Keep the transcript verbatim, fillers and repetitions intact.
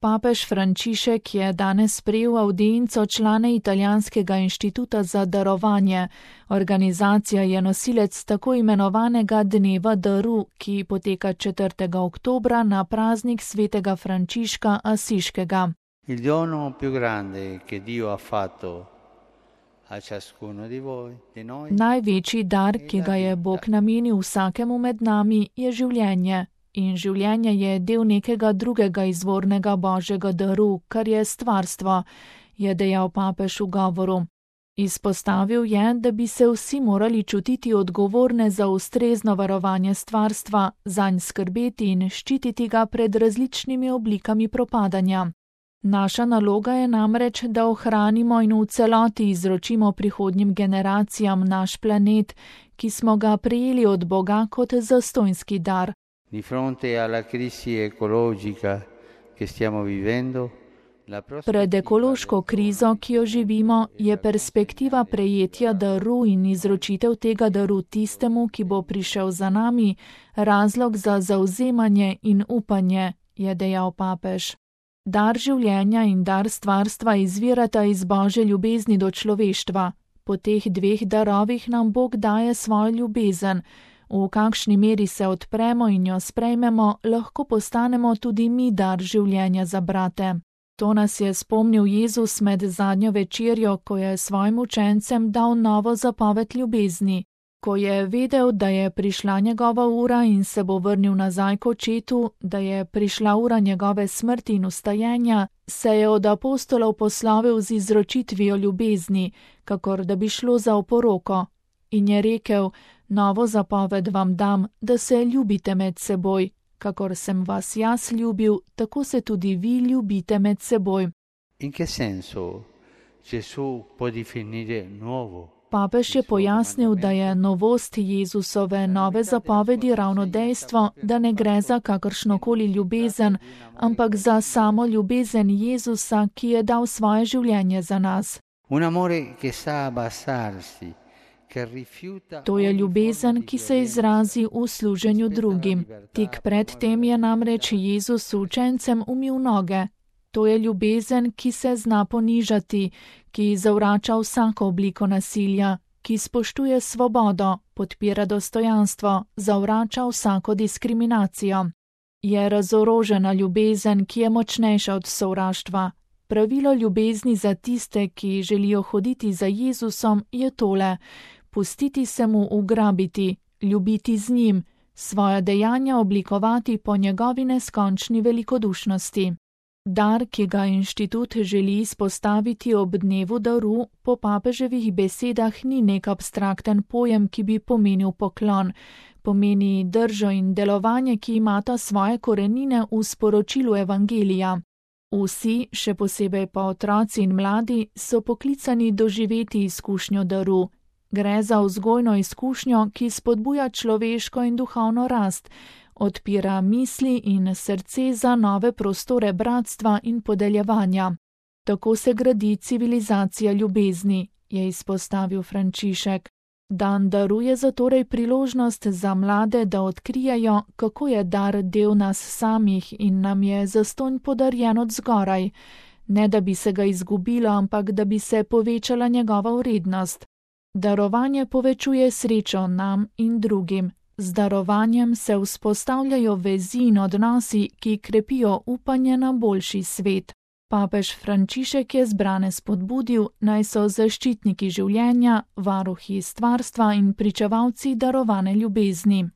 Papež Frančišek je danes sprejel avdienco člane Italijanskega inštituta za darovanje. Organizacija je nosilec tako imenovanega Dneva daru, ki poteka četrtega oktobra na praznik svetega Frančiška Asiškega. Il dono più grande che Dio ha fatto a ciascuno di voi, di noi. Največji dar, ki ga je Bog namenil vsakemu med nami, je življenje. In življenje je del nekega drugega izvornega božjega daru, kar je stvarstvo, je dejal papež v govoru. Izpostavil je, da bi se vsi morali čutiti odgovorne za ustrezno varovanje stvarstva, zanj skrbeti in ščititi ga pred različnimi oblikami propadanja. Naša naloga je namreč, da ohranimo in v celoti izročimo prihodnjim generacijam naš planet, ki smo ga prejeli od Boga kot zastonjski dar. Di fronte alla crisi ecologica che stiamo vivendo, la Pred ekološko krizo, ki jo živimo, je perspektiva prejetja daru in izročitev tega daru tistemu, ki bo prišel za nami, razlog za zavzemanje in upanje, je dejal papež. Dar življenja in dar stvarstva izvirata iz Božje ljubezni do človeštva. Po teh dveh darovih nam Bog daje svojo ljubezen. V kakšni meri se odpremo in jo sprejmemo, lahko postanemo tudi mi dar življenja za brate. To nas je spomnil Jezus med zadnjo večerjo, ko je svojim učencem dal novo zapoved ljubezni. Ko je vedel, da je prišla njegova ura in se bo vrnil nazaj k očetu, da je prišla ura njegove smrti in vstajenja, se je od apostolov poslovil z izročitvijo ljubezni, kakor da bi šlo za oporoko. In je rekel: Novo zapoved vam dam, da se ljubite med seboj. Kakor sem vas jaz ljubil, tako se tudi vi ljubite med seboj. In che senso Gesù può definire nuovo? Papež je pojasnil, da je novost Jezusove nove zapovedi ravno dejstvo, da ne gre za kakršnokoli ljubezen, ampak za samo ljubezen Jezusa, ki je dal svoje življenje za nas. Un amore che sa abbassarsi. To je ljubezen, ki se izrazi v služenju drugim. Tik pred tem je namreč Jezus učencem umil noge. To je ljubezen, ki se zna ponižati, ki zavrača vsako obliko nasilja, ki spoštuje svobodo, podpira dostojanstvo, zavrača vsako diskriminacijo. Je razorožena ljubezen, ki je močnejša od sovraštva. Pravilo ljubezni za tiste, ki želijo hoditi za Jezusom, je tole: pustiti se mu ugrabiti, ljubiti z njim, svoja dejanja oblikovati po njegovi neskončni velikodušnosti. Dar, ki ga inštitut želi izpostaviti ob dnevu daru, po papeževih besedah ni nek abstrakten pojem, ki bi pomenil poklon. Pomeni držo in delovanje, ki imata svoje korenine v sporočilu evangelija. Vsi, še posebej pa otroci in mladi, so poklicani doživeti izkušnjo daru. Gre za vzgojno izkušnjo, ki spodbuja človeško in duhovno rast, odpira misli in srce za nove prostore bratstva in podeljevanja. Tako se gradi civilizacija ljubezni, je izpostavil Frančišek. Dan daru je zatorej priložnost za mlade, da odkrijejo, kako je dar del nas samih in nam je zastonj podarjen od zgoraj, ne da bi se ga izgubilo, ampak da bi se povečala njegova vrednost. Darovanje povečuje srečo nam in drugim. Z darovanjem se vzpostavljajo vezi in odnosi, ki krepijo upanje na boljši svet. Papež Frančišek je zbrane spodbudil, naj so zaščitniki življenja, varuhi stvarstva in pričevalci darovane ljubezni.